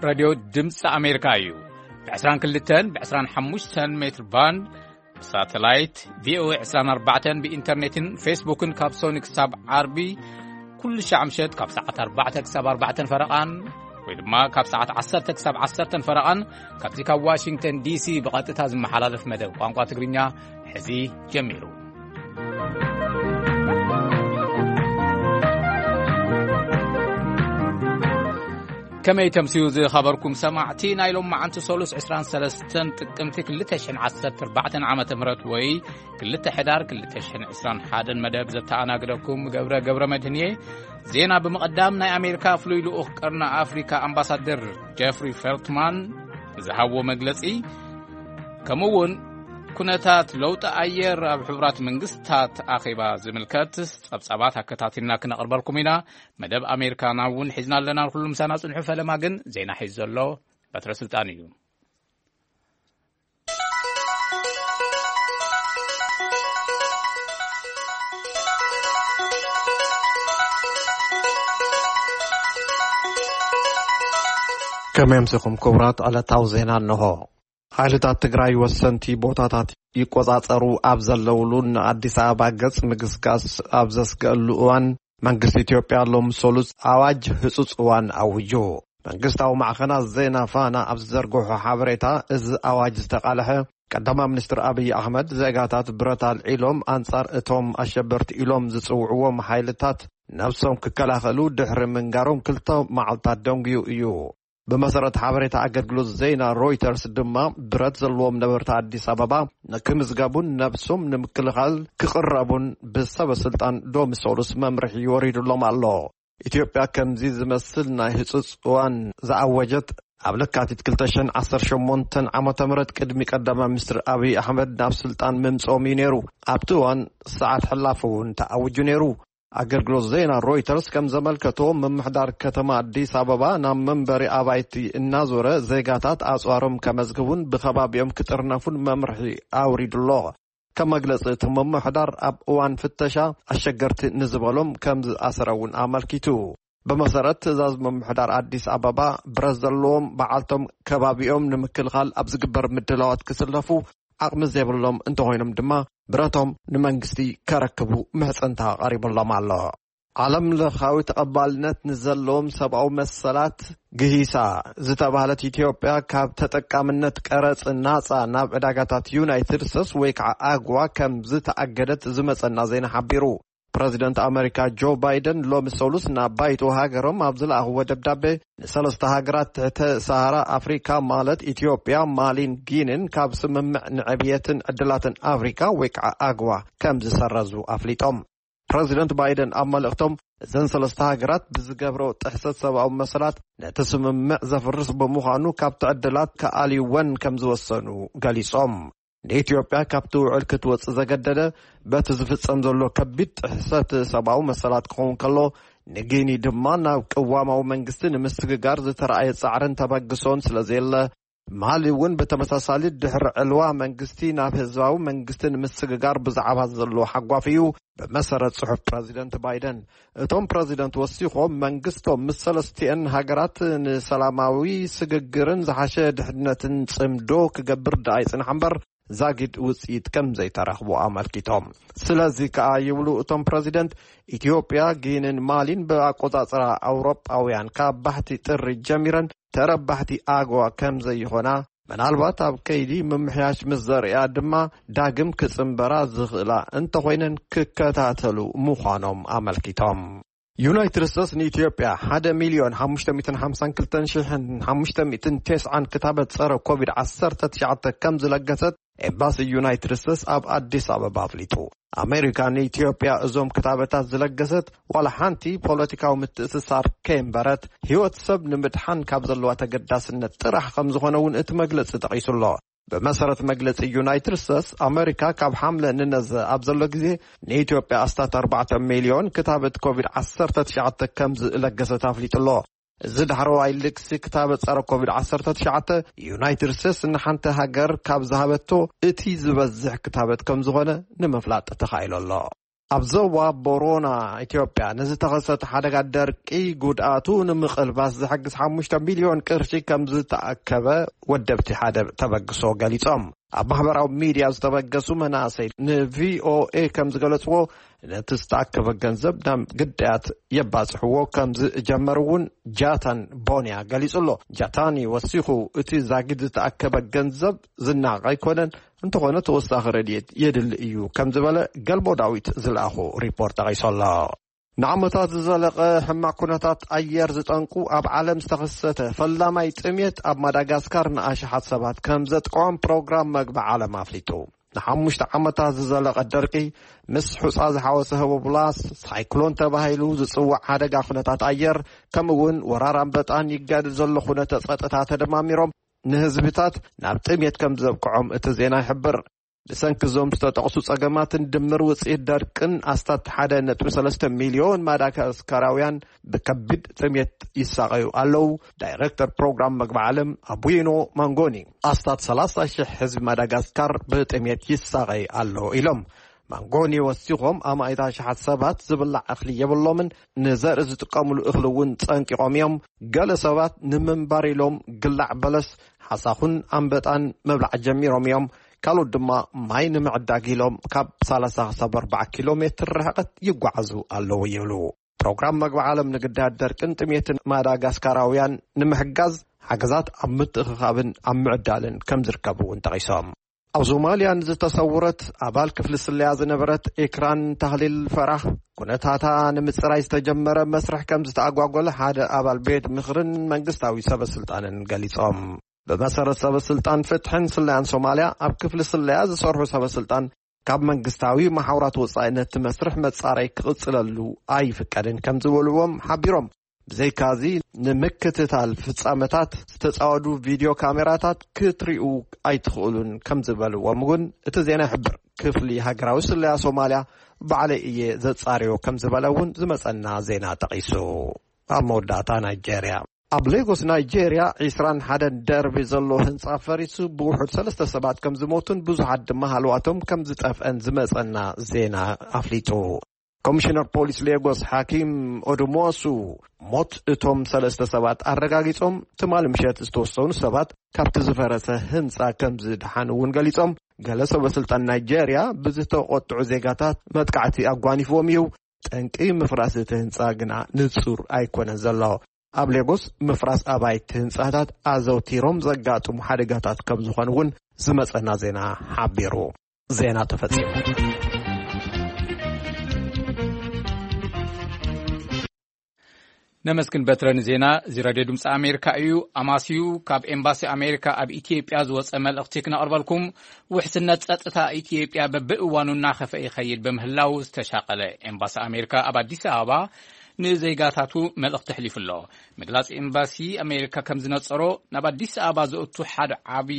ሬድዮ ድምፂ ኣሜሪካ እዩ። ብ22 ብ25 ሜትር ባንድ ብሳተላይት ቪኦኤ 24 ብኢንተርኔትን ፌስቡክን ካብ ሶኒ ክሳብ ዓርቢ ኩሉ ሻዕ ምሸት ካብ ሰዓት ኣርባዕተ ክሳብ ኣርባዕተን ፈረቓን ወይ ድማ ካብ ሰዓት ዓሰርተ ክሳብ ዓሰርተን ፈረቓን ካብዚ ካብ ዋሽንግተን ዲሲ ብቐጥታ ዝመሓላለፍ መደብ ቋንቋ ትግርኛ ሕዚ ጀሚሩ። ከመይ ተምስዩ ዝኸበርኩም ሰማዕቲ፣ ናይ ሎም መዓንቲ ሰሉስ ዕስራን ሰለስተን ጥቅምቲ ክልተ ሽሕን ዓሰርተ ኣርባዕተን ዓመተ ምህረት ወይ ክልተ ሕዳር ክልተ ሽሕን ዕስራን ሓደን መደብ ዘተኣናግደኩም ገብረ ገብረ መድህን እየ። ዜና ብምቕዳም ናይ ኣሜሪካ ፍሉይ ልኡኽ ቀርኒ ኣፍሪካ ኣምባሳደር ጀፍሪ ፌልትማን ዝሃብዎ መግለጺ፣ ከምኡ እውን ኩነታት ለውጢ ኣየር ኣብ ሕቡራት መንግስታት ኣኼባ ዝምልከት ጸብጻባት ኣከታቲልና ክነቕርበልኩም ኢና። መደብ ኣሜሪካና እውን ሒዝና ኣለና። ንኩሉ ምሳና ጽንሑ። ፈለማ ግን ዜና ሒዙ ዘሎ በትረ ስልጣን እዩ። ከመይ ኣምሲኹም ክቡራት? ዕለታዊ ዜና እንሆ። ሓይልታት ትግራይ ወሰንቲ ቦታታት ይቆጻጸሩ ኣብ ዘለውሉን ንኣዲስ ኣበባ ገጽ ምግስጋስ ኣብ ዘስገእሉ እዋን፣ መንግስቲ ኢትዮጵያ ሎም ሰሉስ ኣዋጅ ህጹጽ እዋን ኣዊጁ። መንግስታዊ ማዕኸናት ዜና ፋና ኣብ ዝዘርግሖ ሓበሬታ፣ እዚ ኣዋጅ ዝተቓልሐ ቀዳማይ ሚኒስትር ኣብይ ኣሕመድ፣ ዜጋታት ብረት ኣልዒሎም ኣንጻር እቶም ኣሸበርቲ ኢሎም ዝጽውዕዎም ሓይልታት ነብሶም ክከላኸሉ ድሕሪ ምንጋሮም ክልተ መዓልታት ደንጉዩ እዩ። ብመሰረት ሓበሬታ ኣገልግሎት ዜና ሮይተርስ ድማ፣ ብረት ዘለዎም ነበርቲ ኣዲስ ኣበባ ንክምዝገቡን ነብሶም ንምክልኻል ክቕረቡን ብሰበ ስልጣን ሎሚ ሰሉስ መምርሒ ወሪዱሎም ኣሎ። ኢትዮጵያ ከምዚ ዝመስል ናይ ህጹጽ እዋን ዝኣወጀት ኣብ ለካቲት ክልተ ሽሕን ዓሰርተ ሸሞንተን ዓመተ ምህረት ቅድሚ ቀዳማይ ሚኒስትር ኣብይ ኣሕመድ ናብ ስልጣን ምምጽኦም እዩ ነይሩ። ኣብቲ እዋን ሰዓት ሕላፍ እውን ተኣዊጁ ነይሩ። ኣገልግሎት ዜና ሮይተርስ ከም ዘመልከቶ፣ ምምሕዳር ከተማ ኣዲስ ኣበባ ናብ መንበሪ ኣባይቲ እናዞረ ዜጋታት ኣጽዋሮም ከመዝግቡን ብከባቢኦም ክጥርነፉን መምርሒ ኣውሪዱ ኣሎ። ከም መግለጺ እቲ ምምሕዳር፣ ኣብ እዋን ፍተሻ ኣሸገርቲ ንዝበሎም ከም ዝኣሰረ እውን ኣመልኪቱ። ብመሰረት ትእዛዝ ምምሕዳር ኣዲስ ኣበባ፣ ብረት ዘለዎም በዓልቶም ከባቢኦም ንምክልኻል ኣብ ዝግበር ምድላዋት ክስለፉ፣ ዓቕሚ ዘይብሎም እንተኾይኖም ድማ ብረቶም ንመንግስቲ ከረክቡ ምሕጽንታ ቀሪቡሎም ኣሎ። ዓለም ለኻዊ ተቐባልነት ንዘለዎም ሰብኣዊ መሰላት ግሂሳ ዝተባህለት ኢትዮጵያ፣ ካብ ተጠቃምነት ቀረጽ ናጻ ናብ ዕዳጋታት ዩናይትድ ስቴትስ ወይ ከዓ ኣግዋ ከም ዝተኣገደት ዝመጸና ዜና ሓቢሩ። ፕረዚደንት ኣመሪካ ጆ ባይደን ሎሚ ሰሉስ ናብ ባይቶ ሃገሮም ኣብ ዝለኣኽዎ ደብዳቤ፣ ንሰለስተ ሃገራት ትሕተ ሰሃራ ኣፍሪካ፣ ማለት ኢትዮጵያ፣ ማሊን ጊንን፣ ካብ ስምምዕ ንዕብየትን ዕድላትን ኣፍሪካ ወይ ከዓ ኣግዋ ከም ዝሰረዙ ኣፍሊጦም። ፕረዚደንት ባይደን ኣብ መልእኽቶም፣ እዘን ሰለስተ ሃገራት ብዝገብሮ ጥሕሰት ሰብኣዊ መሰላት ነቲ ስምምዕ ዘፍርስ ብምዃኑ፣ ካብቲ ዕድላት ክኣልይወን ከም ዝወሰኑ ገሊጾም። ንኢትዮጵያ ካብቲ ውዕል ክትወጽእ ዘገደደ፣ በቲ ዝፍጸም ዘሎ ከቢድ ጥሕሰት ሰብኣዊ መሰላት ክኸውን ከሎ፣ ንጊኒ ድማ ናብ ቅዋማዊ መንግስቲ ንምስግጋር ዝተረኣየ ጻዕርን ተበግሶን ስለ ዘየለ፣ ማሊ እውን ብተመሳሳሊ ድሕሪ ዕልዋ መንግስቲ ናብ ህዝባዊ መንግስቲ ንምስግጋር ብዛዕባ ዘሎ ሓጓፍ እዩ፣ ብመሰረት ጽሑፍ ፕረዚደንት ባይደን። እቶም ፕረዚደንት ወሲኾም፣ መንግስቶም ምስ ሰለስቲአን ሃገራት ንሰላማዊ ስግግርን ዝሓሸ ድሕነትን ጽምዶ ክገብር ደኣ ይጽንሕ እምበር፣ ዛጊድ ውጽኢት ከም ዘይተረኽቦ ኣመልኪቶም። ስለዚ ከኣ ይብሉ እቶም ፕረዚደንት፣ ኢትዮጵያ፣ ጊንን ማሊን ብኣቆጻጽራ ኣውሮጳውያን ካብ ባሕቲ ጥሪ ጀሚረን ተረባሕቲ ኣግዋ ከም ዘይኾና፣ ምናልባት ኣብ ከይዲ ምምሕያሽ ምስ ዘርእያ ድማ ዳግም ክጽንበራ ዝኽእላ እንተኾይነን ክከታተሉ ምዃኖም ኣመልኪቶም። ዩናይትድ ስቴትስ ንኢትዮጵያ ሓደ ሚልዮን ሓሙሽተ ሚእትን ሓምሳን ክልተን ሽሕን ሓሙሽተ ሚእትን ተስዓን ክታበት ጸረ ኮቪድ ዓሰርተ ትሽዓተ ከም ዝለገሰት ኤምባሲ ዩናይትድ ስቴትስ ኣብ ኣዲስ ኣበባ ኣፍሊጡ። ኣሜሪካ ንኢትዮጵያ እዞም ክታበታት ዝለገሰት ዋላ ሓንቲ ፖለቲካዊ ምትእስሳር ከየንበረት፣ ህይወት ሰብ ንምድሓን ካብ ዘለዋ ተገዳስነት ጥራሕ ከም ዝኾነ እውን እቲ መግለጺ ጠቒሱ ኣሎ። ብመሰረት መግለጺ ዩናይትድ ስቴትስ፣ ኣመሪካ ካብ ሓምለ ንነዘ ኣብ ዘሎ ግዜ ንኢትዮጵያ ኣስታት ኣርባዕተ ሚልዮን ክታበት ኮቪድ ዓሰርተ ትሽዓተ ከም ዝለገሰት ኣፍሊጡ ኣሎ። እዚ ዳሕረዋይ ልግሲ ክታበት ጸረ ኮቪድ ዓሰርተ ትሽዓተ ዩናይትድ ስቴትስ ንሓንቲ ሃገር ካብ ዝሃበቶ እቲ ዝበዝሕ ክታበት ከም ዝኾነ ንምፍላጥ ተኻኢሉ ኣሎ። ኣብ ዞባ ቦሮና ኢትዮጵያ ንዝተኸሰተ ሓደጋ ደርቂ ጉድኣቱ ንምቕልባስ ዝሕግዝ ሓሙሽተ ሚልዮን ቅርሺ ከም ዝተኣከበ ወደብቲ ሓደ ተበግሶ ገሊጾም። ኣብ ማሕበራዊ ሚድያ ዝተበገሱ መናእሰይ ንቪኦኤ ከም ዝገለጽዎ፣ ነቲ ዝተኣከበ ገንዘብ ናብ ግዳያት የባጽሕዎ ከም ዝጀመሩ እውን ጃታን ቦንያ ገሊጹ ኣሎ። ጃታኒ ወሲኹ፣ እቲ ዛጊድ ዝተኣከበ ገንዘብ ዝናቕ ኣይኮነን፣ እንተኾነ ተወሳኺ ረድኤት የድሊ እዩ ከም ዝበለ ገልቦ ዳዊት ዝለኣኹ ሪፖርት ጠቒሱ ኣሎ። ንዓመታት ዝዘለቐ ሕማቕ ኩነታት ኣየር ዝጠንቁ ኣብ ዓለም ዝተኸሰተ ፈላማይ ጥሜት ኣብ ማዳጋስካር ንኣሽሓት ሰባት ከም ዘጥቅዖም ፕሮግራም መግቢ ዓለም ኣፍሊጡ። ንሓሙሽተ ዓመታት ዝዘለቐ ደርቂ ምስ ሑጻ ዝሓወሰ ህቦብላስ ሳይክሎን ተባሂሉ ዝጽዋዕ ሓደጋ ኩነታት ኣየር፣ ከምኡ እውን ወራር ኣንበጣን ይጋደድ ዘሎ ኩነተ ጸጥታ ተደማሚሮም ንህዝብታት ናብ ጥሜት ከም ዘብቅዖም እቲ ዜና ይሕብር። ብሰንኪ እዞም ዝተጠቕሱ ጸገማትን ድምር ውጽኢት ደርቅን ኣስታት ሓደ ነጥቢ ሰለስተ ሚልዮን ማዳጋስካራውያን ብከቢድ ጥሜት ይሳቐዩ ኣለዉ። ዳይረክተር ፕሮግራም መግቢ ዓለም ኣቡይኖ ማንጎኒ ኣስታት ሰላሳ ሽሕ ህዝቢ ማዳጋስካር ብጥሜት ይሳቐይ ኣሎ ኢሎም። ማንጎኒ ወሲኾም፣ ኣማኢት ኣሽሓት ሰባት ዝብላዕ እኽሊ የብሎምን፣ ንዘርኢ ዝጥቀሙሉ እኽሊ እውን ጸንቂቖም እዮም። ገለ ሰባት ንምንባር ኢሎም ግላዕ በለስ፣ ሓሳኹን ኣንበጣን ምብላዕ ጀሚሮም እዮም። ካልኦት ድማ ማይ ንምዕዳግ ኢሎም ካብ ሰላሳ ክሳብ ኣርባዓ ኪሎ ሜትር ርሕቀት ይጓዓዙ ኣለዉ ይብሉ። ፕሮግራም መግቢ ዓለም ንግዳያት ደርቅን ጥሜትን ማዳጋስካራውያን ንምሕጋዝ ሓገዛት ኣብ ምትእኽኻብን ኣብ ምዕዳልን ከም ዝርከቡ እውን ጠቒሶም። ኣብ ሶማልያ ንዝተሰውረት ኣባል ክፍሊ ስለያ ዝነበረት ኤክራን ታህሊል ፈራህ፣ ኩነታታ ንምጽራይ ዝተጀመረ መስርሕ ከም ዝተኣጓጎለ ሓደ ኣባል ቤት ምኽርን መንግስታዊ ሰበ ስልጣንን ገሊጾም። ብመሰረት ሰበ ስልጣን ፍትሕን ስለያን ሶማልያ፣ ኣብ ክፍሊ ስለያ ዝሰርሑ ሰበ ስልጣን ካብ መንግስታዊ መሓውራት ወጻኢ ነቲ መስርሕ መጻረይ ክቕጽለሉ ኣይፍቀድን ከም ዝበልዎም ሓቢሮም። ብዘይካዚ፣ ንምክትታል ፍጻመታት ዝተጻወዱ ቪድዮ ካሜራታት ክትሪኡ ኣይትኽእሉን ከም ዝበልዎም እውን እቲ ዜና ይሕብር። ክፍሊ ሃገራዊ ስለያ ሶማልያ፣ ባዕለይ እየ ዘጻርዮ ከም ዝበለ እውን ዝመጸና ዜና ጠቒሱ። ኣብ መወዳእታ፣ ናይጄርያ። ኣብ ሌጎስ ናይጄርያ፣ ዒስራን ሓደን ደርቢ ዘሎ ህንጻ ፈሪሱ ብውሑድ ሰለስተ ሰባት ከም ዝሞቱን ብዙሓት ድማ ሃለዋቶም ከም ዝጠፍአን ዝመጸና ዜና ኣፍሊጡ። ኮሚሽነር ፖሊስ ሌጎስ ሓኪም ኦዱሞሱ ሞት እቶም ሰለስተ ሰባት ኣረጋጊጾም፣ ትማሊ ምሸት ዝተወሰኑ ሰባት ካብቲ ዝፈረሰ ህንጻ ከም ዝደሓኑ እውን ገሊጾም። ገለ ሰበ ስልጣን ናይጄርያ ብዝተቖጥዑ ዜጋታት መጥቃዕቲ ኣጓኒፍዎም እዩ። ጠንቂ ምፍራስ እቲ ህንጻ ግና ንጹር ኣይኮነን ዘሎ። ኣብ ሌጎስ ምፍራስ ኣባይቲ ህንጻታት ኣዘውቲሮም ዘጋጥሙ ሓደጋታት ከም ዝኾኑ እውን ዝመጸና ዜና ሓቢሩ። ዜና ተፈጺሙ። ነመስግን በትረ ንዜና። እዚ ራድዮ ድምፂ ኣሜሪካ እዩ። ኣማስዩ ካብ ኤምባሲ ኣሜሪካ ኣብ ኢትዮጵያ ዝወፀ መልእኽቲ ክነቕርበልኩም። ውሕስነት ጸጥታ ኢትዮጵያ በብእዋኑ እናኸፈ ይኸይድ ብምህላው ዝተሻቐለ ኤምባሲ ኣሜሪካ ኣብ ኣዲስ ኣበባ ንዜጋታቱ መልእኽቲ ኣሕሊፉ ኣሎ። ምግላጽ ኤምባሲ ኣሜሪካ ከም ዝነጸሮ፣ ናብ ኣዲስ ኣበባ ዘእቱ ሓደ ዓቢ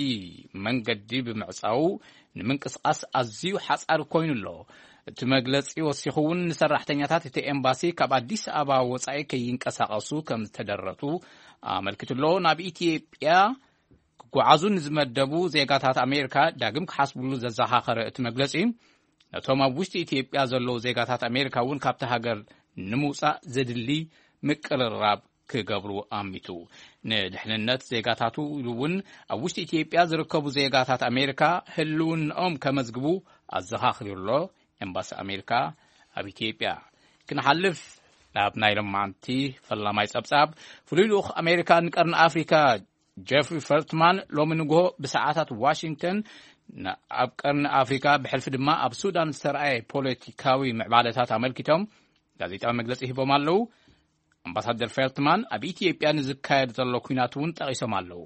መንገዲ ብምዕጻው ንምንቅስቓስ ኣዝዩ ሓጻሪ ኮይኑ ኣሎ። እቲ መግለጺ ወሲኹ እውን ንሰራሕተኛታት እቲ ኤምባሲ ካብ ኣዲስ ኣበባ ወጻኢ ከይንቀሳቐሱ ከም ዝተደረቱ ኣመልኪቱ ኣሎ። ናብ ኢትዮጵያ ክጓዓዙ ንዝመደቡ ዜጋታት ኣሜሪካ ዳግም ክሓስብሉ ዘዘኻኸረ እቲ መግለጺ፣ ነቶም ኣብ ውሽጢ ኢትዮጵያ ዘለዉ ዜጋታት ኣሜሪካ እውን ካብቲ ሃገር ንምውጻእ ዘድሊ ምቅርራብ ክገብሩ ኣሚቱ። ንድሕንነት ዜጋታቱ ኢሉ እውን ኣብ ውሽጢ ኢትዮጵያ ዝርከቡ ዜጋታት ኣሜሪካ ህልውናኦም ከመዝግቡ ኣዘኻኺሩ ኣሎ ኤምባሲ ኣሜሪካ ኣብ ኢትዮጵያ። ክንሓልፍ ናብ ናይ ሎማዓንቲ ፈላማይ ጸብጻብ፣ ፍሉይ ልኡኽ ኣሜሪካ ንቀርኒ ኣፍሪካ ጀፍሪ ፈልትማን ሎሚ ንግሆ ብሰዓታት ዋሽንግተን ን-፣ ኣብ ቀርኒ ኣፍሪካ ብሕልፊ ድማ ኣብ ሱዳን ዝተረኣየ ፖለቲካዊ ምዕባለታት ኣመልኪቶም ጋዜጣዊ መግለጺ ሂቦም ኣለዉ። ኣምባሳደር ፌልትማን ኣብ ኢትዮጵያ ንዝካየድ ዘሎ ኲናት እውን ጠቒሶም ኣለዉ።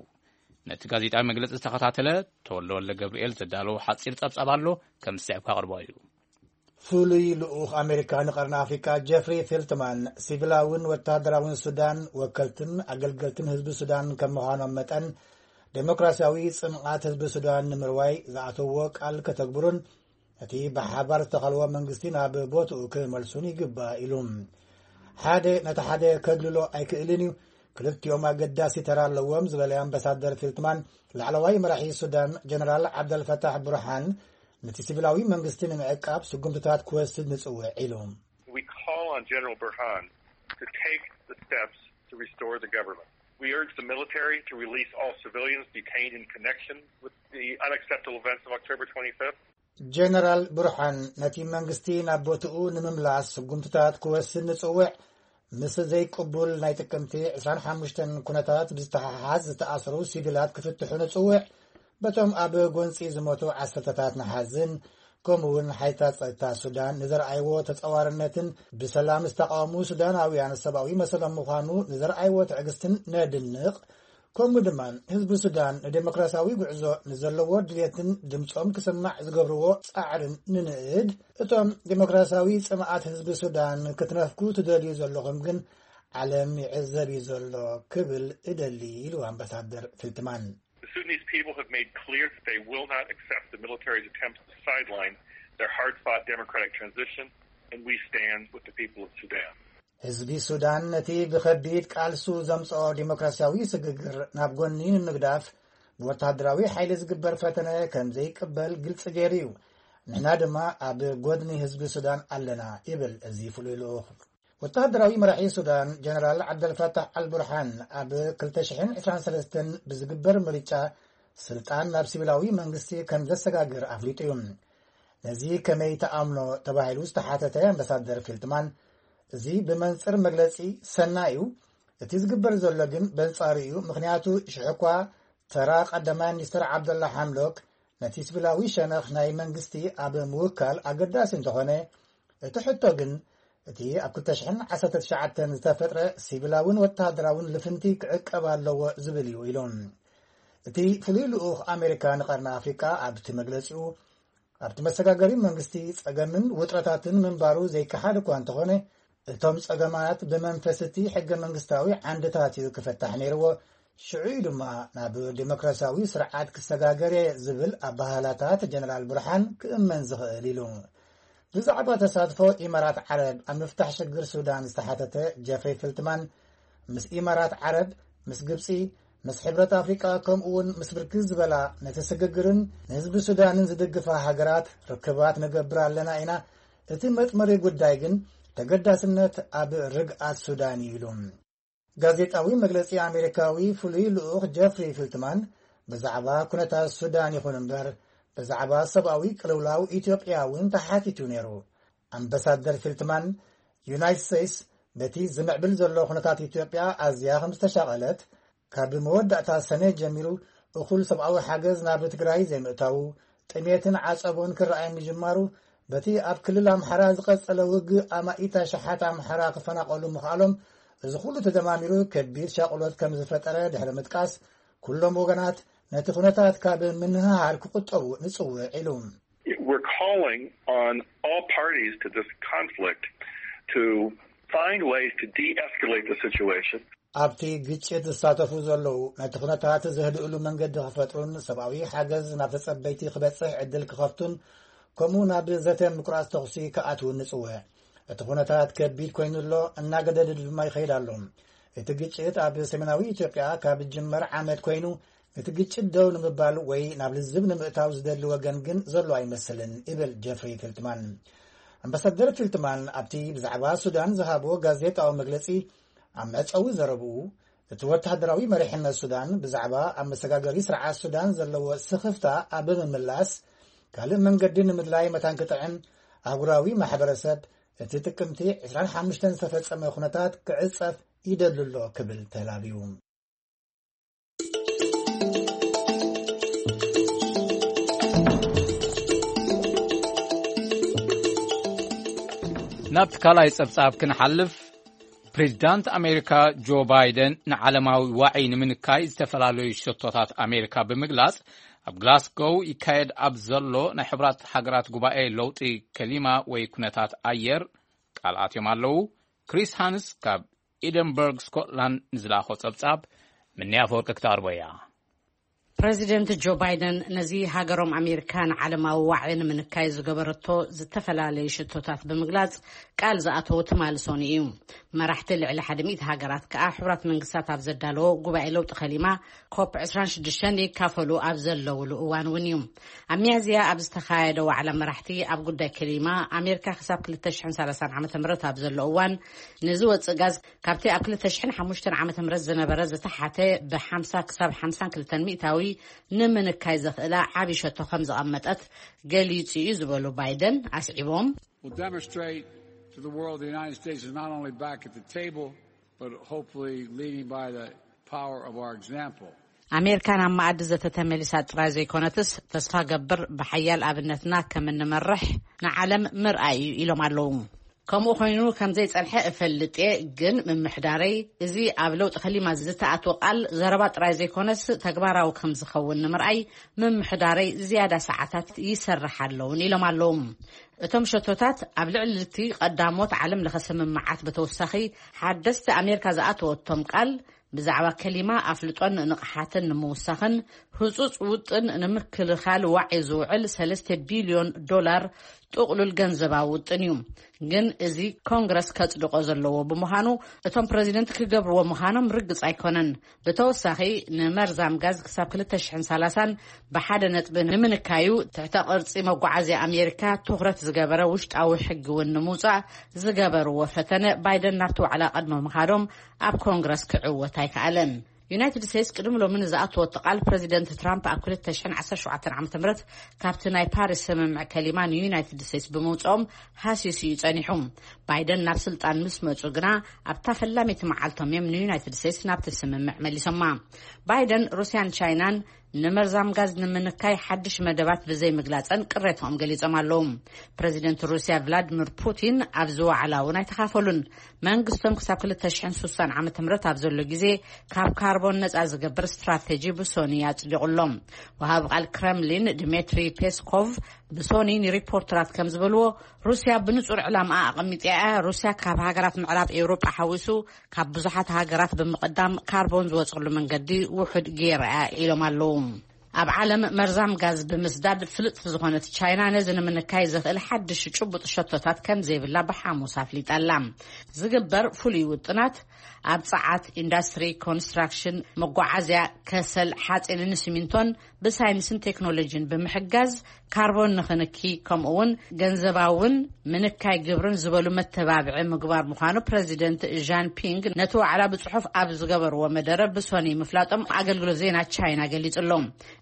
ነቲ ጋዜጣዊ መግለጺ ዝተኸታተለ ተወልደ ወልደ ገብርኤል ዘዳለዎ ሓጺር ጸብጻብ ኣሎ፣ ከም ዝስዕብ ከቕርቦ እዩ። ፍሉይ ልኡኽ ኣሜሪካ ንቀርኒ ኣፍሪካ ጀፍሪ ፌልትማን፣ ሲቪላውን ወታደራውን ሱዳን ወከልትን ኣገልገልትን ህዝቢ ሱዳን ከም ምዃኖም መጠን፣ ዴሞክራሲያዊ ጽምቓት ህዝቢ ሱዳን ንምርዋይ ዝኣተውዎ ቃል ከተግብሩን እቲ ብሓባር ዝተኸልዎ መንግስቲ ናብ ቦትኡ ክመልሱን ይግባእ ኢሉ። ሓደ ነቲ ሓደ ከግልሎ ኣይክእልን እዩ። ክልቲኦም ኣገዳሲ ተራ ኣለዎም ዝበለ ኣምባሳደር ፊልትማን፣ ላዕለዋይ መራሒ ሱዳን ጀነራል ዓብደልፈታሕ ቡርሃን ነቲ ሲቪላዊ መንግስቲ ንምዕቃብ ስጉምትታት ክወስድ ንጽውዕ ኢሉ። We call on General Burhan to take the steps to restore the government. We urge the military to release all civilians detained in connection with the unacceptable events of October twenty-fifth. ጀነራል ብርሃን ነቲ መንግስቲ ናብ ቦትኡ ንምምላስ ስጉምትታት ክወስድ ንጽውዕ። ምስ ዘይቅቡል ናይ ጥቅምቲ ዕስራን ሓሙሽተን ኩነታት ብዝተሓሓዝ ዝተኣስሩ ሲቪላት ክፍትሑ ንጽውዕ። በቶም ኣብ ጎንጺ ዝሞቱ ዓሰርተታት ንሓዝን፣ ከምኡ እውን ሓይልታት ጸጥታ ሱዳን ንዘርኣይዎ ተጻዋርነትን ብሰላም ዝተቃወሙ ሱዳናውያን ሰብኣዊ መሰሎም ምዃኑ ንዘርኣይዎ ትዕግስትን ነድንቕ። ከምኡ ድማ ህዝቢ ሱዳን ንዴሞክራሲያዊ ጉዕዞ ንዘለዎ ድሌትን ድምጾም ክስማዕ ዝገብርዎ ጻዕርን ንንእድ። እቶም ዴሞክራሲያዊ ጽምኣት ህዝቢ ሱዳን ክትነፍኩ ትደልዩ ዘለኹም ግን ዓለም ይዕዘብ እዩ ዘሎ ክብል እደሊ ኢሉ ኣምባሳደር ፊልትማን። The Sudanese people have made clear that they will not accept the military's attempt to sideline their hard-fought democratic transition, and we stand with the people of Sudan. ህዝቢ ሱዳን ነቲ ብኸቢድ ቃልሱ ዘምጽኦ ዴሞክራሲያዊ ስግግር ናብ ጎኒ ንምግዳፍ ብወተሃደራዊ ሓይሊ ዝግበር ፈተነ ከም ዘይቅበል ግልጺ ገይሩ እዩ። ንሕና ድማ ኣብ ጎድኒ ህዝቢ ሱዳን ኣለና ይብል እዚ ፍሉይ ልኡኽ። ወተሃደራዊ መራሒ ሱዳን ጀነራል ዓብደልፈታሕ ኣልቡርሃን ኣብ ክልተ ሽሕን ዕስራን ሰለስተን ብዝግበር ምርጫ ስልጣን ናብ ሲቪላዊ መንግስቲ ከም ዘሰጋግር ኣፍሊጡ እዩ። ነዚ ከመይ ተኣምኖ ተባሂሉ ዝተሓተተ ኣምባሳደር ፊልትማን፣ እዚ ብመንጽር መግለጺ ሰናይ እዩ፣ እቲ ዝግበር ዘሎ ግን በንጻሩ እዩ፣ ምኽንያቱ ሽሕ እኳ ተራ ቀዳማይ ሚኒስትር ዓብደላ ሓምዶክ ነቲ ሲቪላዊ ሸነኽ ናይ መንግስቲ ኣብ ምውካል ኣገዳሲ እንተኾነ፣ እቲ ሕቶ ግን እቲ ኣብ ክልተ ሽሕን ዓሰርተ ትሽዓተን ዝተፈጥረ ሲቪላውን ወተሃደራውን ልፍንቲ ክዕቀብ ኣለዎ ዝብል እዩ ኢሉ። እቲ ፍሉይ ልኡኽ ኣሜሪካ ንቐርኒ ኣፍሪቃ ኣብቲ መግለጺኡ፣ ኣብቲ መሰጋገሪ መንግስቲ ጸገምን ውጥረታትን ምንባሩ ዘይከሓድ እኳ እንተኾነ፣ እቶም ጸገማት ብመንፈስ እቲ ሕገ መንግስታዊ ዓንድታት እዩ ክፈታሕ ነይርዎ። ሽዑ እዩ ድማ ናብ ዴሞክራሲያዊ ስርዓት ክሰጋገር እየ ዝብል ኣባህላታት ጀነራል ብርሃን ክእመን ዝኽእል ኢሉ። ብዛዕባ ተሳትፎ ኢማራት ዓረብ ኣብ ምፍታሕ ሽግር ሱዳን ዝተሓተተ ጀፍሪ ፊልትማን፣ ምስ ኢማራት ዓረብ፣ ምስ ግብጺ፣ ምስ ሕብረት ኣፍሪቃ ከምኡ እውን ምስ ብርክት ዝበላ ነቲ ስግግርን ንህዝቢ ሱዳንን ዝድግፋ ሃገራት ርክባት ንገብር ኣለና ኢና። እቲ መጥመሪ ጉዳይ ግን ተገዳስነት ኣብ ርግኣት ሱዳን እዩ ኢሉ። ጋዜጣዊ መግለጺ ኣሜሪካዊ ፍሉይ ልኡኽ ጀፍሪ ፊልትማን ብዛዕባ ኩነታት ሱዳን ይኹን እምበር ብዛዕባ ሰብኣዊ ቅልውላው ኢትዮጵያ እውን ተሓቲቱ ነይሩ። ኣምባሳደር ፊልትማን፣ ዩናይትድ ስቴትስ በቲ ዝምዕብል ዘሎ ኩነታት ኢትዮጵያ ኣዝያ ከም ዝተሻቐለት፣ ካብ መወዳእታ ሰነ ጀሚሩ እኹል ሰብኣዊ ሓገዝ ናብ ትግራይ ዘይምእታዉ፣ ጥሜትን ዓጸቦን ክረኣይ ምጅማሩ፣ በቲ ኣብ ክልል ኣምሓራ ዝቐጸለ ውግእ ኣማኢት ኣሽሓት ኣምሓራ ክፈናቐሉ ምኽኣሎም፣ እዚ ኩሉ ተደማሚሩ ከቢድ ሻቕሎት ከም ዝፈጠረ ድሕሪ ምጥቃስ፣ ኩሎም ወገናት ነቲ ኩነታት ካብ ምንህሃር ክቁጠቡ ንጽውዕ ኢሉ። We're calling on all parties to this conflict to find ways to de-escalate the situation. ኣብቲ ግጭት ዝሳተፉ ዘለዉ ነቲ ኩነታት ዘህድእሉ መንገዲ ክፈጥሩን ሰብኣዊ ሓገዝ ናብ ተጸበይቲ ክበጽሕ ዕድል ክኸፍቱን ከምኡ ናብ ዘተ ምቁራጽ ተኹሲ ክኣትውን ንጽውዕ። እቲ ኩነታት ከቢድ ኮይኑ ኣሎ፣ እናገደደ ድማ ይኸይድ ኣሎ። እቲ ግጭት ኣብ ሰሜናዊ ኢትዮጵያ ካብ ዝጅመር ዓመት ኮይኑ፣ እቲ ግጭት ደው ንምባል ወይ ናብ ልዝብ ንምእታው ዝደሊ ወገን ግን ዘሎ ኣይመስልን ይብል ጀፍሪ ፊልትማን። ኣምባሳደር ፊልትማን ኣብቲ ብዛዕባ ሱዳን ዝሃቦ ጋዜጣዊ መግለጺ ኣብ መዕጸዊ ዘረብኡ፣ እቲ ወተሃደራዊ መሪሕነት ሱዳን ብዛዕባ ኣብ መሰጋገሪ ስርዓት ሱዳን ዘለዎ ስኽፍታ ኣብ ምምላስ ካልእ መንገዲ ንምድላይ መታን ክጥዕም ኣህጉራዊ ማሕበረሰብ እቲ ጥቅምቲ ዕስራን ሓሙሽተን ዝተፈጸመ ኩነታት ክዕጸፍ ይደሊ ኣሎ ክብል ተላብዩ። ናብቲ ካልኣይ ጸብጻብ ክንሓልፍ፣ ፕሬዚዳንት ኣሜሪካ ጆ ባይደን ንዓለማዊ ዋዒ ንምንካይ ዝተፈላለዩ ሸቶታት ኣሜሪካ ብምግላጽ፣ ኣብ ግላስጎው ይካየድ ኣብ ዘሎ ናይ ሕቡራት ሃገራት ጉባኤ ለውጢ ከሊማ ወይ ኩነታት ኣየር ቃል ኣትዮም ኣለዉ። ክሪስ ሃንስ ካብ ኤደንበርግ ስኮትላንድ ንዝላኾ ጸብጻብ ምንያ ኣፈወርቂ ክተቕርቦ እያ። ፕረዚደንት ጆ ባይደን ነዚ ሃገሮም ኣሜሪካ ንዓለማዊ ዋዒ ንምንካይ ዝገበረቶ ዝተፈላለዩ ሽቶታት ብምግላጽ፣ ቃል ዝኣተወ ትማሊ ሰኑይ እዩ። መራሕቲ ልዕሊ ሓደ ሚእቲ ሃገራት ከኣ ሕቡራት መንግስታት ኣብ ዘዳለዎ ጉባኤ ለውጢ ከሊማ ኮፕ ዕስራን ሽዱሽተን ይካፈሉ ኣብ ዘለውሉ እዋን እውን እዩ። ኣብ ሚያዝያ ኣብ ዝተኻየደ ዋዕላ መራሕቲ ኣብ ጉዳይ ከሊማ፣ ኣሜሪካ ክሳብ ክልተ ሽሕን ሰላሳን ዓመተ ምህረት ኣብ ዘሎ እዋን ንዝወጽእ ጋዝ ካብቲ ኣብ ክልተ ሽሕን ሓሙሽተን ዓመተ ምህረት ዝነበረ ዝተሓተ ብ ሓምሳ ክሳብ ሓምሳን ክልተን ሚእታዊ ንምንካይ ዘኽእላ ዓቢ ሸቶ ከም ዘቐመጠት ገሊጹ እዩ ዝበሉ ባይደን ኣስዒቦም፣ Will demonstrate to the world the United States is not only back at the table, but hopefully leading by the power of our example. ኣሜሪካ ናብ መኣዲ ዘተ ተመሊሳ ጥራይ ዘይኮነትስ፣ ተስፋ ገብር ብሓያል ኣብነትና ከም እንመርሕ ንዓለም ምርኣይ እዩ ኢሎም ኣለዉ። ከምኡ ኮይኑ ከም ዘይጸንሐ እፈልጥ እየ፣ ግን ምምሕዳረይ እዚ ኣብ ለውጢ ከሊማ ዝተኣትወ ቃል ዘረባ ጥራይ ዘይኮነስ ተግባራዊ ከም ዝኸውን ንምርኣይ ምምሕዳረይ ዝያዳ ሰዓታት ይሰርሕ ኣለውን ኢሎም ኣለዉ። እቶም ሸቶታት ኣብ ልዕሊ እቲ ቀዳሞት ዓለም ለኸ ስምምዓት ብተወሳኺ ሓደስቲ ኣሜሪካ ዝኣተወቶም ቃል ብዛዕባ ከሊማ ኣፍልጦን ንቕሓትን ንምውሳኽን ህጹጽ ውጥን ንምክልኻል ዋዒ ዝውዕል ሰለስተ ቢልዮን ዶላር ጥቕሉል ገንዘባዊ ውጥን እዩ። ግን እዚ ኮንግረስ ከጽድቆ ዘለዎ ብምዃኑ እቶም ፕረዚደንት ክገብርዎ ምዃኖም ርግጽ ኣይኮነን። ብተወሳኺ ንመርዛም ጋዝ ክሳብ ክልተ ሽሕን ሰላሳን ብሓደ ነጥቢ ንምንካዩ ትሕተ ቅርጺ መጓዓዝያ ኣሜሪካ ትኹረት ዝገበረ ውሽጣዊ ሕጊ እውን ንምውጻእ ዝገበርዎ ፈተነ ባይደን ናብቲ ዋዕላ ቅድሚ ምኻዶም ኣብ ኮንግረስ ክዕወት ኣይከኣለን። ዩናይትድ ስቴትስ ቅድሚ ሎሚ ንዝኣተወቶ ቃል ፕረዚደንት ትራምፕ ኣብ ክልተ ሽሕን ዓሰርተ ሸውዓተን ዓመተ ምህረት ካብቲ ናይ ፓሪስ ስምምዕ ከሊማ ንዩናይትድ ስቴትስ ብምውፅኦም ሃሲሱ እዩ ጸኒሑ። ባይደን ናብ ስልጣን ምስ መጹ ግና ኣብታ ፈላሚቲ መዓልቶም እዮም ንዩናይትድ ስቴትስ ናብቲ ስምምዕ መሊሶማ። ባይደን ሩስያን ቻይናን ንመርዛም ጋዝ ንምንካይ ሓድሽ መደባት ብዘይ ምግላጸን ቅሬታኦም ገሊጾም ኣለዉ። ፕረዚደንት ሩስያ ቭላድሚር ፑቲን ኣብዚ ዋዕላ እውን ኣይተኻፈሉን። መንግስቶም ክሳብ ክልተ ሽሕን ስሳን ዓመተ ምህረት ኣብ ዘሎ ግዜ ካብ ካርቦን ነጻ ዝገብር ስትራቴጂ ብሶኒ ኣጽዲቑሎም። ወሃቢ ቃል ክረምሊን ድሜትሪ ፔስኮቭ ብሶኒ ንሪፖርተራት ከም ዝበልዎ፣ ሩስያ ብንጹር ዕላማ ኣቐሚጣ እያ። ሩስያ ካብ ሃገራት ምዕራብ ኤውሮጳ ሓዊሱ ካብ ብዙሓት ሃገራት ብምቕዳም ካርቦን ዝወጸሉ መንገዲ ውሑድ ገይራ እያ ኢሎም ኣለዉ። ኣብ ዓለም መርዛም ጋዝ ብምስዳድ ፍልጥቲ ዝኾነት ቻይና ነዚ ንምንካይ ዘኽእል ሓድሽ ጭቡጥ ሸቶታት ከም ዘይብላ ብሓሙስ ኣፍሊጣ ኣላ። ዝግበር ፍሉይ ውጥናት ኣብ ጸዓት፣ ኢንዳስትሪ፣ ኮንስትራክሽን፣ መጓዓዝያ፣ ከሰል፣ ሓጺንን ሲሚንቶን ብሳይንስን ቴክኖሎጂን ብምሕጋዝ ካርቦን ንኽንኪ፣ ከምኡ እውን ገንዘባውን ምንካይ ግብርን ዝበሉ መተባብዒ ምግባር ምዃኑ ፕረዚደንት ዣን ፒንግ ነቲ ዋዕላ ብጽሑፍ ኣብ ዝገበርዎ መደረ ብሶኒ ምፍላጦም ኣገልግሎት ዜና ቻይና ገሊጹ ኣሎ።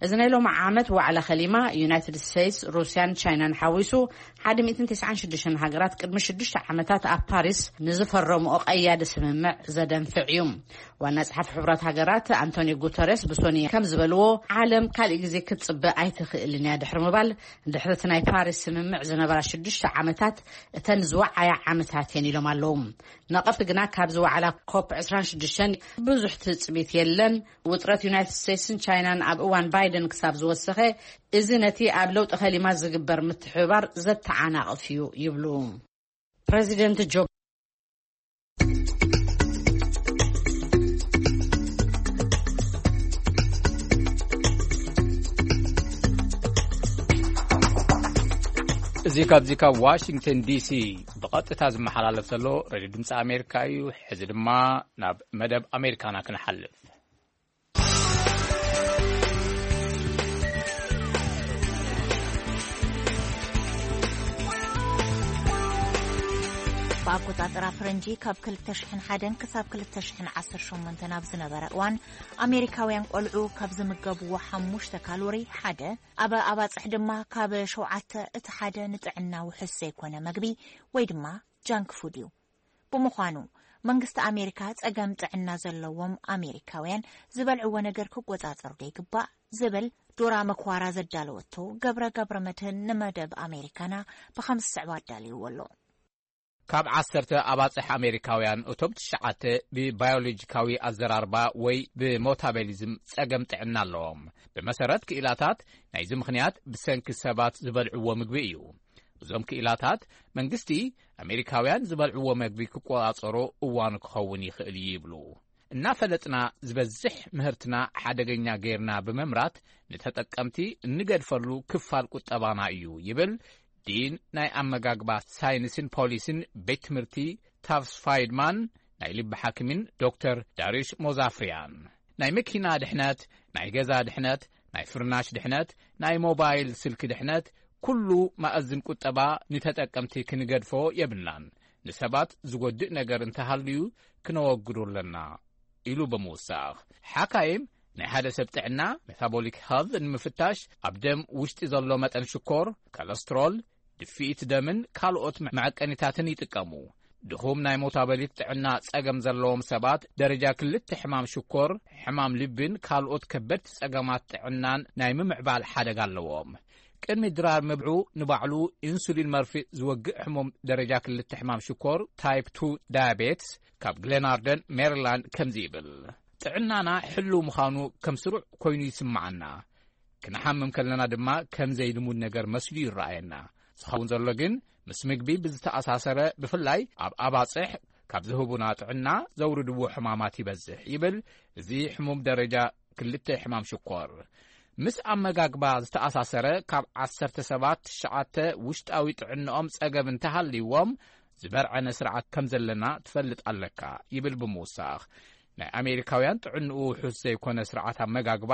እዚ ናይ ሎሚ ዓመት ዋዕላ ከሊማ ዩናይትድ ስቴትስ፣ ሩስያን ቻይናን ሓዊሱ ሓደ ሚእትን ተስዓን ሽዱሽተን ሃገራት ቅድሚ ሽዱሽተ ዓመታት ኣብ ፓሪስ ንዝፈረምኦ ቀያዲ ስምምዕ ዘደንፍዕ እዩ። ዋና ጸሓፊ ሕቡራት ሃገራት ኣንቶኒዮ ጉተሬስ ብሶኒ ከም ዝበልዎ፣ ዓለም ካልእ ግዜ ክትጽበ ኣይትኽእልን እያ ድሕሪ ምባል፣ ድሕሪ እቲ ናይ ፓሪስ ስምምዕ ዝነበራ ሽዱሽተ ዓመታት እተን ዝወዓያ ዓመታት እየን ኢሎም ኣለዉ። ነቐፍቲ ግና ካብዚ ዋዕላ ኮፕ ዕስራን ሽዱሽተን ብዙሕ ትጽቢት የለን። ውጥረት ዩናይትድ ስቴትስን ቻይናን ኣብ እዋን ባይደን ክሳብ ዝወሰኸ፣ እዚ ነቲ ኣብ ለውጢ ከሊማ ዝግበር ምትሕብባር ዘተዓናቕፍ እዩ ይብሉ። ፕረዚደንት ጆ እዚ ካብዚ ካብ ዋሽንግተን ዲሲ ብቐጥታ ዝመሓላለፍ ዘሎ ሬድዮ ድምፂ ኣሜሪካ እዩ። ሕዚ ድማ ናብ መደብ ኣሜሪካና ክንሓልፍ። ብኣቆጻጽራ ፈረንጂ ካብ ክልተ ሽሕን ሓደን ክሳብ ክልተ ሽሕን ዓሰርተ ሸሞንተን ኣብ ዝነበረ እዋን፣ ኣሜሪካውያን ቆልዑ ካብ ዝምገብዎ ሓሙሽተ ካሎሪ ሓደ፣ ኣብ ኣባጽሕ ድማ ካብ ሸውዓተ እቲ ሓደ ንጥዕና ውሑስ ዘይኮነ መግቢ ወይ ድማ ጃንክ ፉድ እዩ። ብምዃኑ፣ መንግስቲ ኣሜሪካ ጸገም ጥዕና ዘለዎም ኣሜሪካውያን ዝበልዕዎ ነገር ክቆጻጸሩ ዶ ይግባእ ዝብል ዶራ መኳራ ዘዳለወቶ ገብረ ገብረ መድህን ንመደብ ኣሜሪካና ብኸም ዝስዕብ ኣዳልይዎ ኣሎ። ካብ ዓሰርተ ኣባጽሕ ኣሜሪካውያን እቶም ትሽዓተ ብባዮሎጂካዊ ኣዘራርባ ወይ ብሞታቤሊዝም ጸገም ጥዕና ኣለዎም። ብመሰረት ክኢላታት ናይዚ ምኽንያት ብሰንኪ ሰባት ዝበልዕዎ ምግቢ እዩ። እዞም ክኢላታት መንግስቲ ኣሜሪካውያን ዝበልዕዎ መግቢ ክቆጻጸሮ እዋኑ ክኸውን ይኽእል እዩ ይብሉ። እናፈለጥና ዝበዝሕ ምህርትና ሓደገኛ ጌርና ብምምራት ንተጠቀምቲ እንገድፈሉ ክፋል ቁጠባና እዩ ይብል ዲን ናይ ኣመጋግባ ሳይንስን ፖሊሲን ቤት ትምህርቲ ታፍስ ፋይድማን ናይ ልቢ ሓኪምን ዶክተር ዳሪሽ ሞዛፍሪያን። ናይ መኪና ድሕነት፣ ናይ ገዛ ድሕነት፣ ናይ ፍርናሽ ድሕነት፣ ናይ ሞባይል ስልኪ ድሕነት፣ ኩሉ መኣዝን ቁጠባ ንተጠቀምቲ ክንገድፎ የብልናን። ንሰባት ዝጎድእ ነገር እንተሃልዩ ክነወግዶ ኣለና ኢሉ ብምውሳኽ። ሓካይም ናይ ሓደ ሰብ ጥዕና ሜታቦሊክ ሄልት ንምፍታሽ ኣብ ደም ውሽጢ ዘሎ መጠን ሽኮር፣ ኮለስትሮል፣ ድፍኢት ደምን ካልኦት መዐቀኒታትን ይጥቀሙ። ድኹም ናይ ሞታበሊት ጥዕና ጸገም ዘለዎም ሰባት ደረጃ ክልተ ሕማም ሽኮር፣ ሕማም ልብን ካልኦት ከበድቲ ጸገማት ጥዕናን ናይ ምምዕባል ሓደጋ ኣለዎም። ቅድሚ ድራር ምብልዑ ንባዕሉ ኢንሱሊን መርፍእ ዝወግእ ሕሙም ደረጃ ክልተ ሕማም ሽኮር ታይፕ ቱ ዳያቤትስ ካብ ግሌናርደን ሜሪላንድ ከምዚ ይብል። ጥዕናና ሕሉው ምዃኑ ከም ስሩዕ ኮይኑ ይስምዓና። ክንሓምም ከለና ድማ ከም ዘይልሙድ ነገር መስሉ ይረኣየና። ዝኸውን ዘሎ ግን ምስ ምግቢ ብዝተኣሳሰረ ብፍላይ ኣብ ኣባጽሕ ካብ ዝህቡና ጥዕና ዘውርድዎ ሕማማት ይበዝሕ ይብል እዚ ሕሙም ደረጃ ክልተ ሕማም ሽኮር። ምስ ኣመጋግባ ዝተኣሳሰረ ካብ ዓሰርተ ሰባት ትሽዓተ ውሽጣዊ ጥዕንኦም ጸገም እንተሃልይዎም ዝበርዐነ ስርዓት ከም ዘለና ትፈልጥ ኣለካ ይብል ብምውሳኽ ናይ ኣሜሪካውያን ጥዕንኡ ውሑስ ዘይኮነ ስርዓት ኣመጋግባ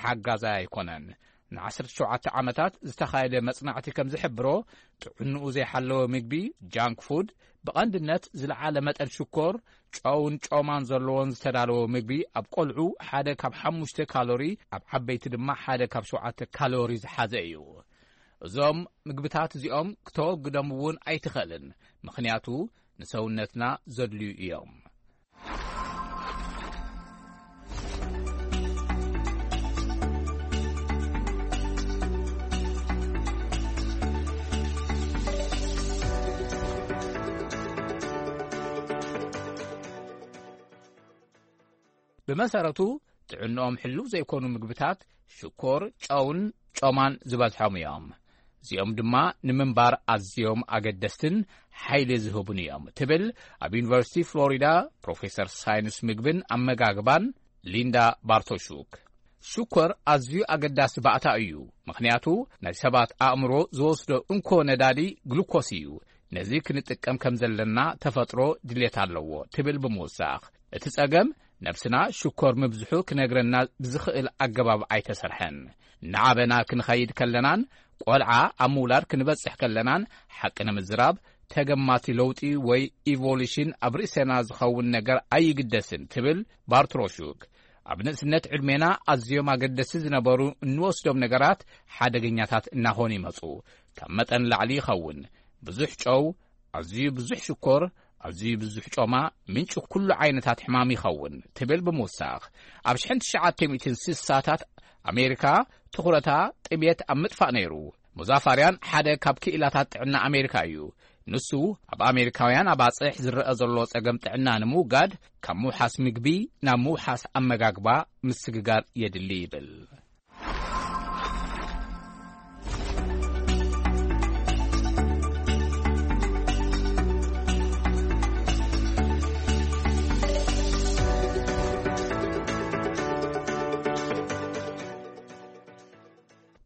ሓጋዛይ ኣይኮነን። ን17 ዓመታት ዝተኻየደ መጽናዕቲ ከም ዝሕብሮ ጥዕንኡ ዘይሓለወ ምግቢ ጃንክ ፉድ ብቐንድነት ዝለዓለ መጠን ሽኮር ጨውን ጮማን ዘለዎን ዝተዳለወ ምግቢ ኣብ ቆልዑ ሓደ ካብ ሓሙሽተ ካሎሪ ኣብ ዓበይቲ ድማ ሓደ ካብ ሸውዓተ ካሎሪ ዝሓዘ እዩ። እዞም ምግብታት እዚኦም ክተወግዶም እውን ኣይትኽእልን፣ ምኽንያቱ ንሰውነትና ዘድልዩ እዮም። ብመሰረቱ ጥዕንኦም ሕሉው ዘይኮኑ ምግብታት ሽኮር፣ ጨውን ጮማን ዝበዝሖም እዮም። እዚኦም ድማ ንምንባር ኣዝዮም ኣገደስትን ሓይሊ ዝህቡን እዮም ትብል ኣብ ዩኒቨርሲቲ ፍሎሪዳ ፕሮፌሰር ሳይንስ ምግብን ኣመጋግባን ሊንዳ ባርቶሹክ። ሽኮር ኣዝዩ ኣገዳሲ ባእታ እዩ፣ ምኽንያቱ ናይ ሰባት ኣእምሮ ዝወስዶ እንኮ ነዳዲ ግሉኮስ እዩ። ነዚ ክንጥቀም ከም ዘለና ተፈጥሮ ድሌት ኣለዎ ትብል ብምውሳኽ፣ እቲ ጸገም ነብስና ሽኮር ምብዝሑ ክነግረና ብዝኽእል ኣገባብ ኣይተሰርሐን። እናዓበና ክንኸይድ ከለናን ቆልዓ ኣብ ምውላድ ክንበጽሕ ከለናን ሓቂ ንምዝራብ ተገማቲ ለውጢ ወይ ኢቮሉሽን ኣብ ርእሰና ዝኸውን ነገር ኣይግደስን ትብል ባርትሮሹክ። ኣብ ንእስነት ዕድሜና ኣዝዮም ኣገደስቲ ዝነበሩ እንወስዶም ነገራት ሓደገኛታት እናኾኑ ይመጹ። ካብ መጠን ላዕሊ ይኸውን። ብዙሕ ጨው፣ ኣዝዩ ብዙሕ ሽኮር፣ ኣዝዩ ብዙሕ ጮማ ምንጪ ኩሉ ዓይነታት ሕማም ይኸውን ትብል ብምውሳኽ፣ ኣብ ሽሕን ትሽዓተ ሚእትን ስሳታት ኣሜሪካ ትኹረታ ጥሜት ኣብ ምጥፋእ ነይሩ። ሙዛፋርያን ሓደ ካብ ክኢላታት ጥዕና ኣሜሪካ እዩ። ንሱ ኣብ ኣሜሪካውያን ኣባጽሕ ዝረአ ዘሎ ጸገም ጥዕና ንምውጋድ ካብ ምውሓስ ምግቢ ናብ ምውሓስ ኣመጋግባ ምስግጋር የድሊ ይብል።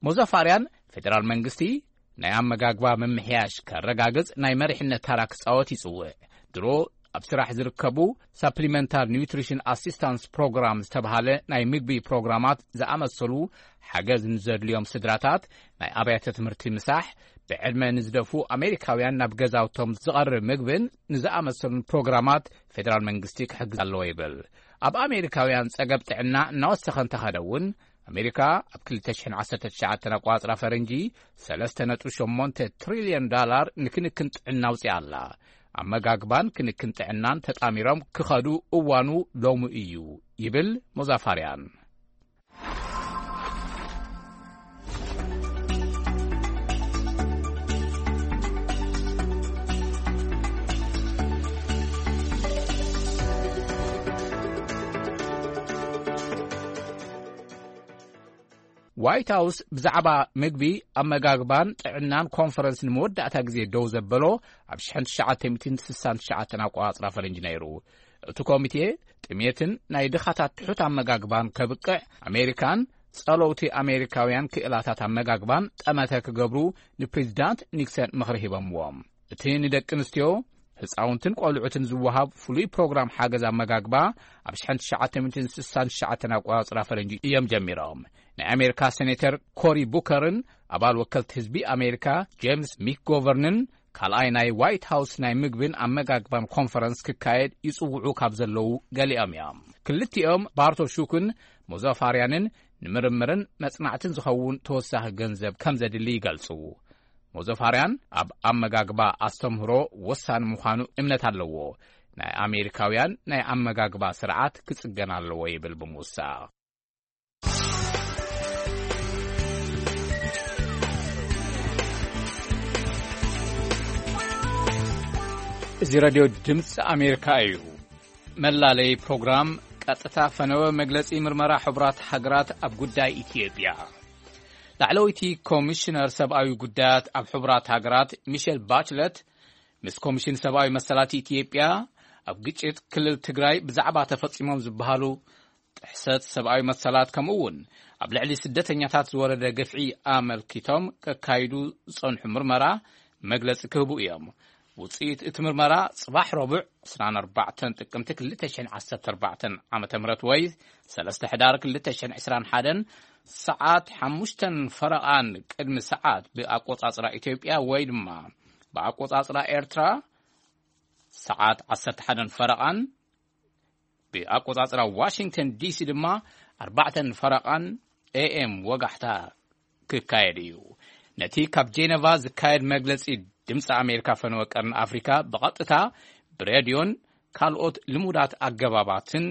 ሞዛፋርያን ፌደራል መንግስቲ ናይ ኣመጋግባ ምምሕያሽ ከረጋግጽ ናይ መሪሕነት ታራ ክጻወት ይጽውዕ። ድሮ ኣብ ስራሕ ዝርከቡ ሳፕሊመንታል ኒውትሪሽን ኣሲስታንስ ፕሮግራም ዝተባሃለ ናይ ምግቢ ፕሮግራማት ዝኣመሰሉ ሓገዝ ንዘድልዮም ስድራታት፣ ናይ ኣብያተ ትምህርቲ ምሳሕ፣ ብዕድመ ንዝደፉ ኣሜሪካውያን ናብ ገዛውቶም ዝቐርብ ምግብን ንዝኣመሰሉን ፕሮግራማት ፌደራል መንግስቲ ክሕግዝ ኣለዎ ይብል። ኣብ ኣሜሪካውያን ጸገብ ጥዕና እናወሰኸ እንተኸደ እውን ኣሜሪካ ኣብ ክልተ ሽሕን ዓሰርተ ትሽዓተን ኣቋጽራ ፈረንጂ ሰለስተ ነጥቢ ሸሞንተ ትሪልዮን ዳላር ንክንክን ጥዕና ኣውጺኣ ኣላ። ኣመጋግባን ክንክን ጥዕናን ተጣሚሮም ክኸዱ እዋኑ ሎሚ እዩ ይብል ሞዛፋርያን። ዋይት ሃውስ ብዛዕባ ምግቢ፣ ኣመጋግባን ጥዕናን ኮንፈረንስ ንመወዳእታ ግዜ ደው ዘበሎ ኣብ ሽሕን ትሽዓተ ሚእትን ስሳን ትሽዓተን ኣቆጻጽራ ፈረንጂ ነይሩ። እቲ ኮሚቴ ጥሜትን ናይ ድኻታት ትሑት ኣመጋግባን ከብቅዕ፣ ኣሜሪካን ጸለውቲ ኣሜሪካውያን ክእላታት ኣመጋግባን ጠመተ ክገብሩ ንፕሬዚዳንት ኒክሰን ምኽሪ ሂቦምዎም። እቲ ንደቂ ኣንስትዮ፣ ህጻውንትን ቆልዑትን ዝወሃብ ፍሉይ ፕሮግራም ሓገዝ ኣመጋግባ ኣብ ሽሕን ትሽዓተ ሚእትን ስሳን ትሽዓተን ኣቆጻጽራ ፈረንጂ እዮም ጀሚሮም። ናይ ኣሜሪካ ሴኔተር ኮሪ ቡከርን ኣባል ወከልቲ ህዝቢ ኣሜሪካ ጄምስ ሚክጎቨርንን ካልኣይ ናይ ዋይት ሃውስ ናይ ምግብን ኣመጋግባን ኮንፈረንስ ክካየድ ይጽውዑ ካብ ዘለዉ ገሊኦም እዮም። ክልቲኦም ባርቶ ሹክን ሞዛፋርያንን ንምርምርን መጽናዕትን ዝኸውን ተወሳኺ ገንዘብ ከም ዘድሊ ይገልጹ። ሞዛፋርያን ኣብ ኣመጋግባ ኣስተምህሮ ወሳኒ ምዃኑ እምነት ኣለዎ። ናይ ኣሜሪካውያን ናይ ኣመጋግባ ስርዓት ክጽገን ኣለዎ ይብል ብምውሳኽ። እዚ ሬድዮ ድምፂ ኣሜሪካ እዩ። መላለይ ፕሮግራም ቀጥታ ፈነወ መግለፂ ምርመራ ሕቡራት ሃገራት ኣብ ጉዳይ ኢትዮጵያ። ላዕለወይቲ ኮሚሽነር ሰብኣዊ ጉዳያት ኣብ ሕቡራት ሃገራት ሚሸል ባችለት ምስ ኮሚሽን ሰብኣዊ መሰላት ኢትዮጵያ ኣብ ግጭት ክልል ትግራይ ብዛዕባ ተፈፂሞም ዝበሃሉ ጥሕሰት ሰብኣዊ መሰላት ከምኡ እውን ኣብ ልዕሊ ስደተኛታት ዝወረደ ግፍዒ ኣመልኪቶም ከካይዱ ዝፀንሑ ምርመራ መግለፂ ክህቡ እዮም። ውፅኢት እቲ ምርመራ ፅባሕ ረቡዕ ዕስራን ኣርባዕተን ጥቅምቲ ክልተ ሽሕን ዓሰርተ ኣርባዕተን ዓመተ ምህረት ወይ ሰለስተ ሕዳር ክልተ ሽሕን ዕስራን ሓደን ሰዓት ሓሙሽተን ፈረቓን ቅድሚ ሰዓት ብኣቆፃፅራ ኢትዮጵያ ወይ ድማ ብኣቆፃፅራ ኤርትራ ሰዓት ዓሰርተ ሓደን ፈረቓን ብኣቆጻጽራ ዋሽንግተን ዲሲ ድማ ኣርባዕተን ፈረቓን ኤኤም ወጋሕታ ክካየድ እዩ። ነቲ ካብ ጄነቫ ዝካየድ መግለጺ ድምፂ ኣሜሪካ ፈነወ ቀርኒ ኣፍሪካ ብቐጥታ ብሬድዮን ካልኦት ልሙዳት ኣገባባትን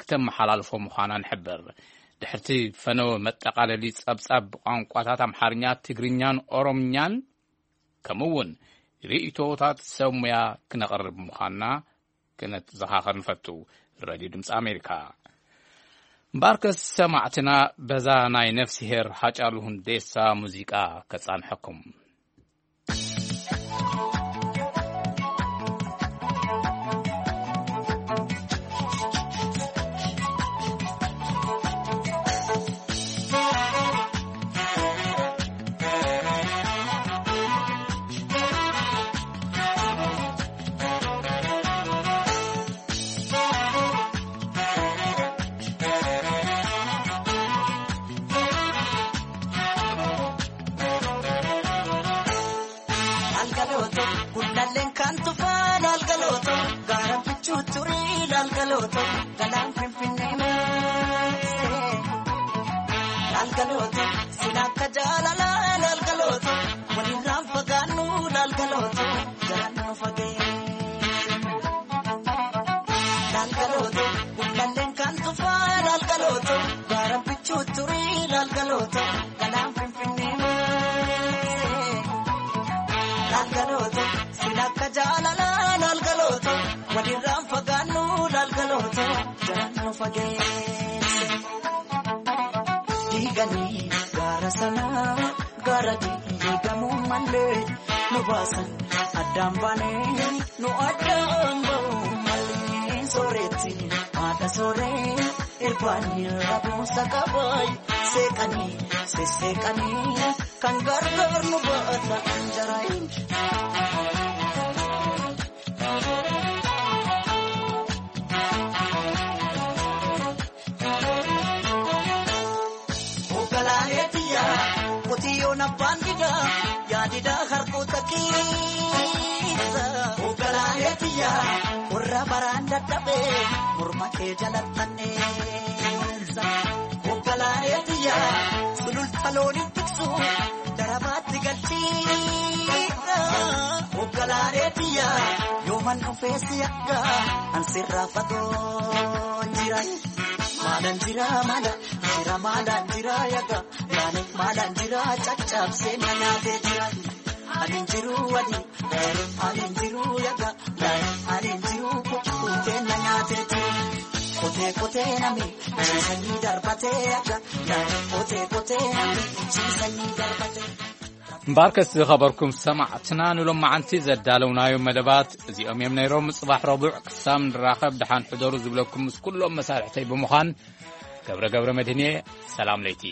ክተመሓላልፎ ምዃና ንሕብር። ድሕርቲ ፈነወ መጠቓለሊ ጸብጻብ ብቋንቋታት ኣምሓርኛ፣ ትግርኛን ኦሮምኛን ከምኡ እውን ርእይቶታት ሰብ ሙያ ክነቕርብ ምዃንና ክነተዘኻኸር ንፈቱ። ሬድዮ ድምፂ ኣሜሪካ። እምበኣርከስ ሰማዕትና በዛ ናይ ነፍስሄር ሃጫሉ ሁንዴሳ ሙዚቃ ከጻንሐኩም። Lalgalooto, gullalleen kan tufaa lalgalooto, gaara bichuu turii lalgalooto, galaan finfinnee maasee lalgalooto, sin akka jaalalaa lalgalooto, walirraan fagaannu lalgalooto, jalaan nu fageesse. Lalgalooto, gullalleen kan tufaa lalgalooto, gaara bichuu turii lalgalooto, galaan finfinnee maasee lalgalooto, sin akka jaalalaa lalgalooto, walirraan fagaannu lalgalooto, jalaan nu fageesse. Diiganii gaara sanaa, gaara diigamuu malee nu baasan addaan baanee, nu addaan ba'uu malee. Sooretti haadha sooree, irbaanii rabuusa qabaay, seeqanii sesseeqanii kan gargaar nu baata anjaraayin. Hoggalaaleetiya, qotiyyoon abbaan didaa, yaa didaa harkoota keessa. Hoggalaaleetiya, warra baraan dadhabe, morma kee jalattanneessa. Hoggalaaleetiya, sululta looniin tiksu, darabaatti galchiidha. Hoggalaaleetiya, yooman dhufee si akka, an sirraa fagoo jira. Maalan jira, maala jira, maalan jira, yaga. Maalan, maalan jira, caccabsee na nyaatee jira. Ani hin jiru wali, ani hin jiru yaga. Ani hin jiru kukkutee na nyaatee jira. Kotee, kotee nami, ciisanii darbatee yaga. Kotee, kotee nami, ciisanii darbatee. እምበኣርከስ ዝኸበርኩም ሰማዕትና፣ ንሎማዓንቲ ዘዳለውናዮም መደባት እዚኦም እዮም ነይሮም። ጽባሕ ረቡዕ ክሳብ ንራኸብ ደሓን ሕደሩ ዝብለኩም ምስ ኩሎም መሳርሕተይ ብምዃን ገብረ ገብረ መድህን እየ። ሰላም ለይቲ።